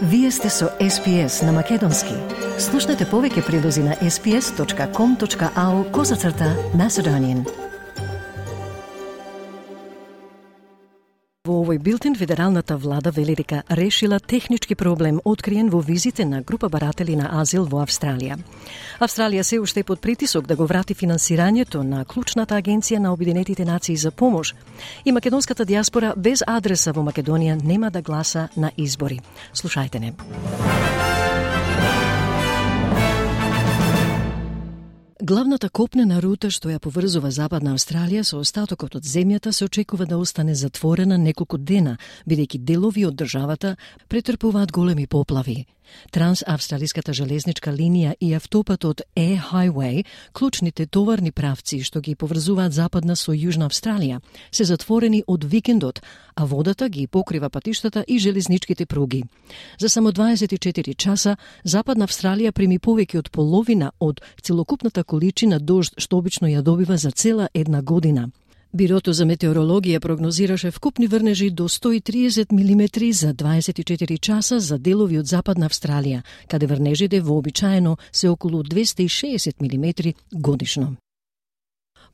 Вие сте со SPS на Македонски. Слушнете повеќе прилози на sps.com.au/Macedonian. Во овој билтен федералната влада вели дека решила технички проблем откриен во визите на група баратели на азил во Австралија. Австралија се уште под притисок да го врати финансирањето на клучната агенција на Обединетите нации за помош. И македонската дијаспора без адреса во Македонија нема да гласа на избори. Слушајте не. Главната копнена рута што ја поврзува Западна Австралија со остатокот од земјата се очекува да остане затворена неколку дена, бидејќи делови од државата претрпуваат големи поплави. Трансавстралиската железничка линија и автопатот Air Highway, клучните товарни правци што ги поврзуваат Западна со Јужна Австралија, се затворени од викендот, а водата ги покрива патиштата и железничките пруги. За само 24 часа Западна Австралија прими повеќе од половина од целокупната количина дожд што обично ја добива за цела една година. Бирото за метеорологија прогнозираше вкупни врнежи до 130 милиметри за 24 часа за делови од Западна Австралија, каде врнежите вообичаено се околу 260 милиметри годишно.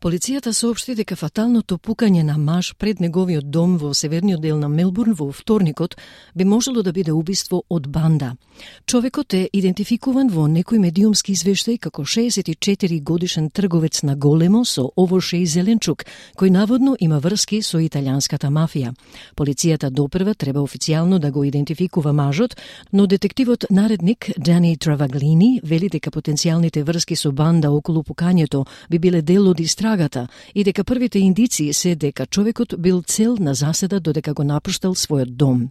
Полицијата соопшти дека фаталното пукање на маж пред неговиот дом во северниот дел на Мелбурн во вторникот би можело да биде убиство од банда. Човекот е идентификуван во некој медиумски извештај како 64 годишен трговец на големо со овоше и зеленчук, кој наводно има врски со италијанската мафија. Полицијата допрва треба официјално да го идентификува мажот, но детективот наредник Дани Travaglini вели дека потенцијалните врски со банда околу пукањето би биле дел од истрагата и дека првите индиции се дека човекот бил цел на заседа додека го напуштал својот дом.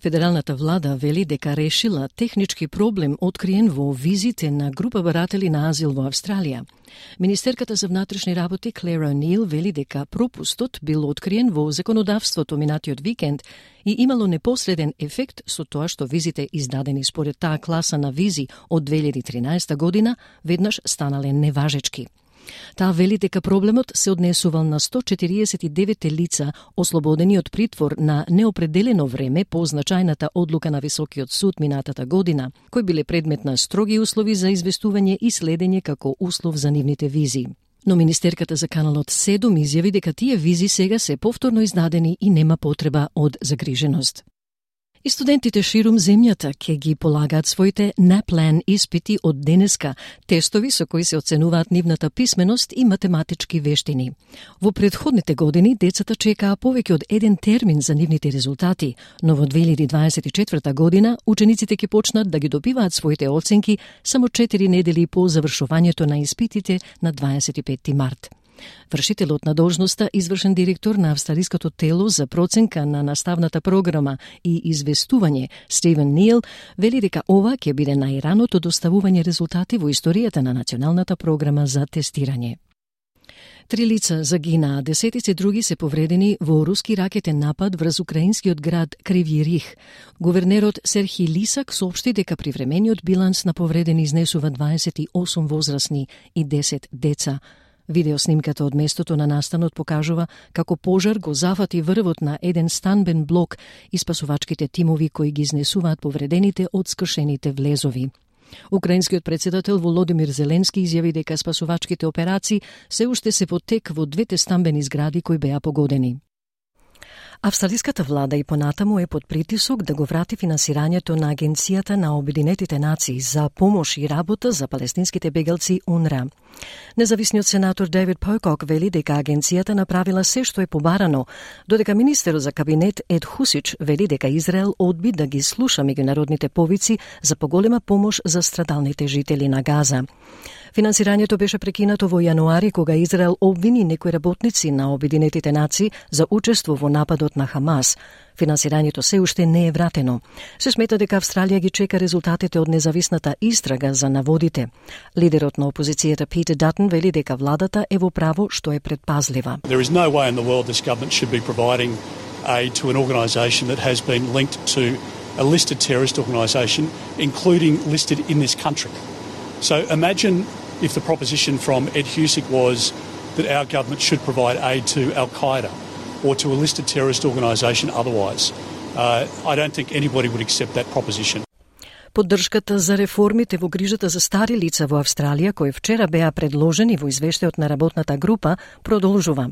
Федералната влада вели дека решила технички проблем откриен во визите на група баратели на азил во Австралија. Министерката за внатрешни работи Клер О'Нил вели дека пропустот бил откриен во законодавството минатиот викенд и имало непосреден ефект со тоа што визите издадени според таа класа на визи од 2013 година веднаш станале неважечки. Таа вели дека проблемот се однесувал на 149 лица ослободени од притвор на неопределено време по значајната одлука на Високиот суд минатата година, кои биле предмет на строги услови за известување и следење како услов за нивните визи. Но министерката за каналот 7 изјави дека тие визи сега се повторно издадени и нема потреба од загриженост. И студентите ширум земјата ќе ги полагаат своите NAPLAN испити од денеска, тестови со кои се оценуваат нивната писменост и математички вештини. Во претходните години децата чекаа повеќе од еден термин за нивните резултати, но во 2024 година учениците ќе почнат да ги добиваат своите оценки само 4 недели по завршувањето на испитите на 25 март. Вршителот на должноста, извршен директор на Австралиското тело за проценка на наставната програма и известување, Стивен Нил, вели дека ова ќе биде најраното доставување резултати во историјата на националната програма за тестирање. 3 лица загинаа, десетици други се повредени во руски ракетен напад врз украинскиот град Кривји Рих. Гувернерот Серхи Лисак соопшти дека привремениот биланс на повредени изнесува 28 возрасни и 10 деца. Видеоснимката од местото на настанот покажува како пожар го зафати врвот на еден станбен блок и спасувачките тимови кои ги изнесуваат повредените од скршените влезови. Украинскиот председател Володимир Зеленски изјави дека спасувачките операции се уште се во тек во двете станбени згради кои беа погодени. Австралиската влада и понатаму е под притисок да го врати финансирањето на Агенцијата на Обединетите нации за помош и работа за палестинските бегалци УНРА. Независниот сенатор Дейвид Покок вели дека агенцијата направила се што е побарано, додека министерот за кабинет Ед Хусич вели дека Израел одби да ги слуша меѓународните повици за поголема помош за страдалните жители на Газа. Финансирањето беше прекинато во јануари кога Израел обвини некои работници на Обединетите нации за учество во нападот на Хамас. Финансирањето се уште не е вратено. Се смета дека Австралија ги чека резултатите од независната истрага за наводите. Лидерот на опозицијата Питер Датон вели дека владата е во право што е предпазлива. There is no way in the world this government should be providing aid to an organisation that has been linked to a listed terrorist organisation, including listed in this country. So imagine if the proposition from Ed Husic was that our government should provide aid to Al-Qaeda or to a listed terrorist organisation otherwise. I don't think anybody would accept that proposition. Поддршката за реформите во грижата за стари лица во Австралија, кои вчера беа предложени во извештајот на работната група, продолжува.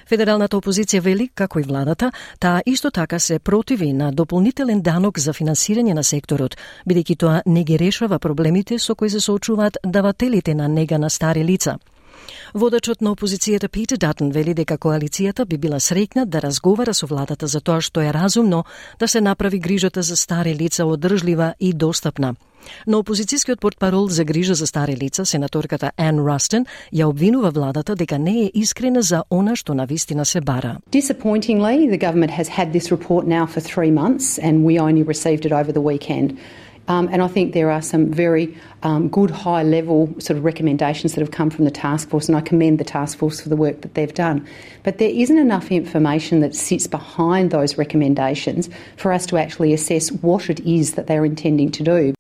Федералната опозиција вели, како и владата, таа исто така се противи на дополнителен данок за финансирање на секторот, бидејќи тоа не ги решава проблемите со кои се соочуваат давателите на нега на стари лица. Водачот на опозицијата Питер Датон вели дека коалицијата би била среќна да разговара со владата за тоа што е разумно да се направи грижата за стари лица одржлива и достапна. Но опозицијскиот портпарол за грижа за стари лица, сенаторката Ан Растен, ја обвинува владата дека не е искрена за она што навистина се бара. Disappointingly, the government has had this report now for 3 months and we only received it over the weekend. And I think there are some very good high-level sort of recommendations that have come from the task force, and I commend the task force for the work that they've done. But there isn't enough information that sits behind those recommendations for us to actually assess what it is that they're intending to do.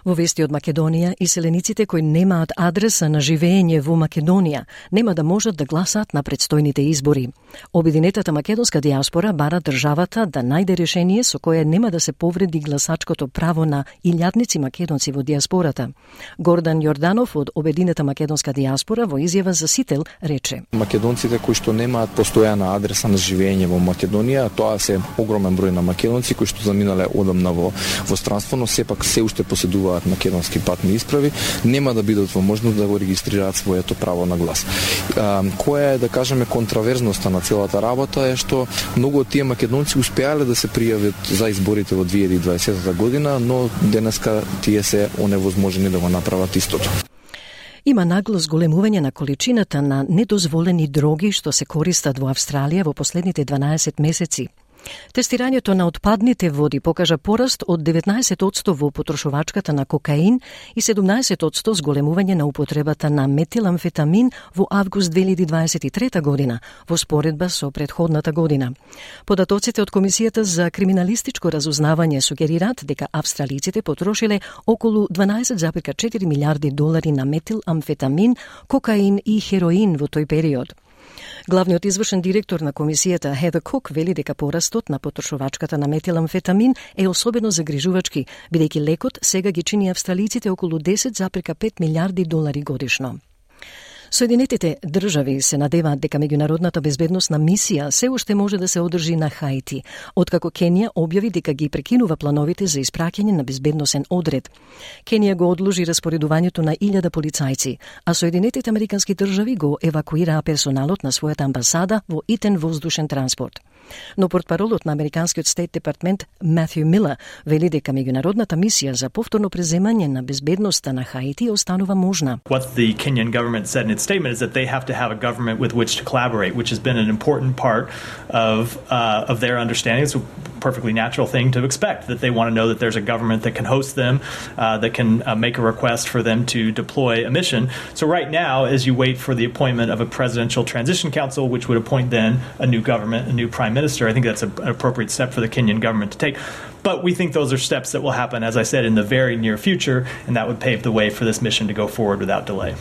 Во вести од Македонија, иселениците кои немаат адреса на живење во Македонија нема да можат да гласаат на предстојните избори. Обединетата македонска диаспора бара државата да најде решение со кое нема да се повреди гласачкото право на илјадници македонци во диаспората. Гордан Јорданов од Обединета македонска диаспора во изјава за Сител рече: Македонците кои што немаат постојана адреса на живење во Македонија, тоа се огромен број на македонци кои што заминале одамна во странство, но сепак се уште поседуваат македонски патни исправи, нема да бидат во можност да го регистрираат своето право на глас. Која е, да кажеме, контраверзноста на целата работа е што многу од тие македонци успеале да се пријават за изборите во 2020 година, но денеска тие се оневозможени да го направат истото. Има нагло зголемување на количината на недозволени дроги што се користат во Австралија во последните 12 месеци. Тестирањето на отпадните води покажа пораст од 19% во потрошувачката на кокаин и 17% зголемување на употребата на метиламфетамин во август 2023 година, во споредба со претходната година. Податоците од Комисијата за криминалистичко разузнавање сугерираат дека австралиците потрошиле околу 12,4 милиарди долари на метиламфетамин, кокаин и хероин во тој период. Главниот извршен директор на комисијата Хедер Кук вели дека порастот на потрошувачката на метиламфетамин е особено загрижувачки, бидејќи лекот сега ги чини австралиците околу 10,5 милиарди долари годишно. Соединетите држави се надеваат дека меѓународната безбедносна мисија се уште може да се одржи на Хаити, откако Кенија објави дека ги прекинува плановите за испраќање на безбедносен одред. Кенија го одложи распоредувањето на 1000 полицајци, а Соединетите американски држави го евакуираа персоналот на својата амбасада во итен воздушен транспорт. Но портпаролот на Американскиот Стейт Департмент Матју Милер вели дека меѓународната мисија за повторно преземање на безбедноста на Хаити останува можна. What the Kenyan government said in its statement is that they have to have a government with which to collaborate, which has been an important part of their understanding. It's a perfectly natural thing to expect, that they want to know that there's a government that can host them, that can make a request for them to deploy a mission. So right now, as you wait for the appointment of a presidential transition council, which would appoint then a new government, a new prime minister, I think that's an appropriate step for the Kenyan government to take. But we think those are steps that will happen, as I said, in the very near future, and that would pave the way for this mission to go forward without delay.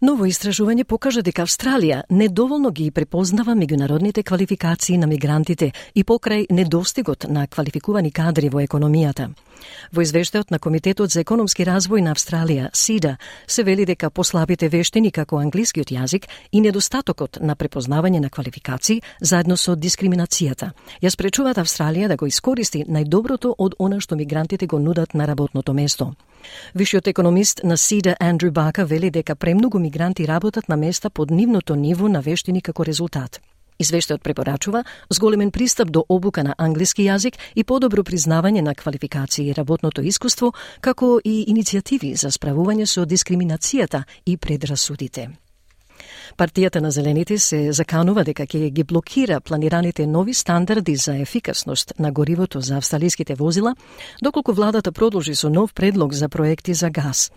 Ново истражување покажа дека Австралија недоволно ги препознава меѓународните квалификации на мигрантите и покрај недостигот на квалификувани кадри во економијата. Во извештајот на Комитетот за економски развој на Австралија, СИДА, се вели дека послабите вештини како англискиот јазик и недостатокот на препознавање на квалификации заедно со дискриминацијата ја спречуваат Австралија да го искористи најдоброто од она што мигрантите го нудат на работното место. Вишиот економист на СИДА Андрю Бака вели дека премногу мигранти работат на места под нивното ниво на вештини како резултат. Извештајот препорачува зголемен пристап до обука на англиски јазик и подобро признавање на квалификации и работното искуство, како и иницијативи за справување со дискриминацијата и предрасудите. Партијата на Зелените се заканува дека ќе ги блокира планираните нови стандарди за ефикасност на горивото за австралиските возила, доколку владата продолжи со нов предлог за проекти за газ.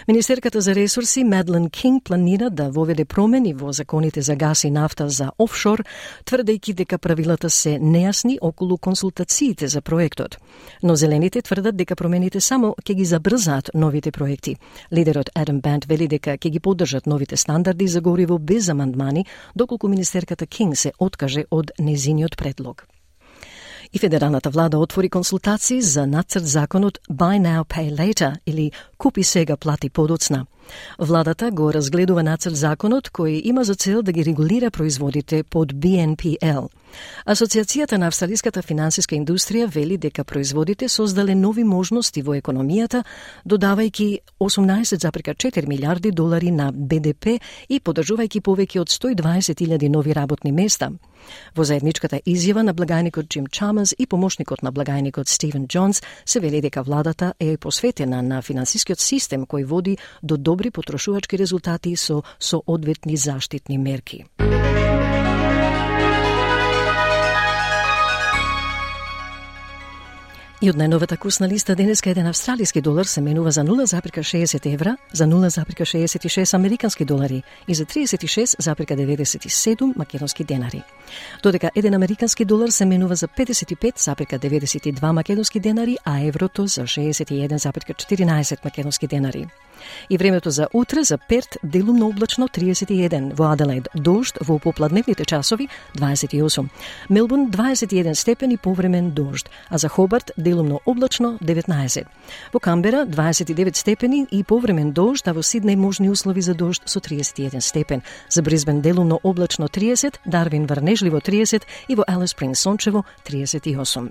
Министерката за ресурси Мадлен Кинг планира да воведе промени во законите за газ и нафта за офшор, тврдејќи дека правилата се нејасни околу консултациите за проектот. Но Зелените тврдат дека промените само ќе ги забрзаат новите проекти. Лидерот Адам Банд вели дека ќе ги поддржат новите стандарди за гориво без амандмани, доколку министерката Кинг се откаже од незиниот предлог. И федералната влада отвори консултации за нацрт законот Buy Now, Pay Later или Купи сега, плати подоцна. Владата го разгледува нацрт законот кој има за цел да ги регулира производите под BNPL. Асоциацијата на австралиската финансиска индустрија вели дека производите создале нови можности во економијата, додавајќи 18,4 милиарди долари на БДП и подржувајќи повеќе од 120.000 нови работни места. Во заедничката изјава на благајникот Джим Чамерс и помошникот на благајникот Стивен Џонс се вели дека владата е посветена на финансискиот систем кој води до добри потрошувачки резултати со одветни заштитни мерки. И од најновата курсна листа денеска еден австралиски долар се менува за 0,60 евра, за 0,66 американски долари и за 36,97 македонски денари. Додека еден американски долар се менува за 55,92 македонски денари, а еврото за 61,14 македонски денари. И времето за утре за Перт делумно облачно 31, во Аделаид дожд, во попладневните часови 28, Мелбурн 21 степени повремен дожд, а за Хобарт делумно облачно 19. Во Камбера 29 степени и повремен дожд, а во Сиднеј можни услови за дожд со 31 степен. За Брисбен делумно облачно 30, Дарвин врнежливо 30 и во Алис Спрингс сончево 38.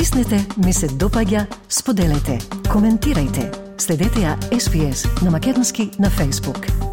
Стиснете, ми се допаѓа, споделете, коментирајте. Следете ја SPS на македонски на Facebook.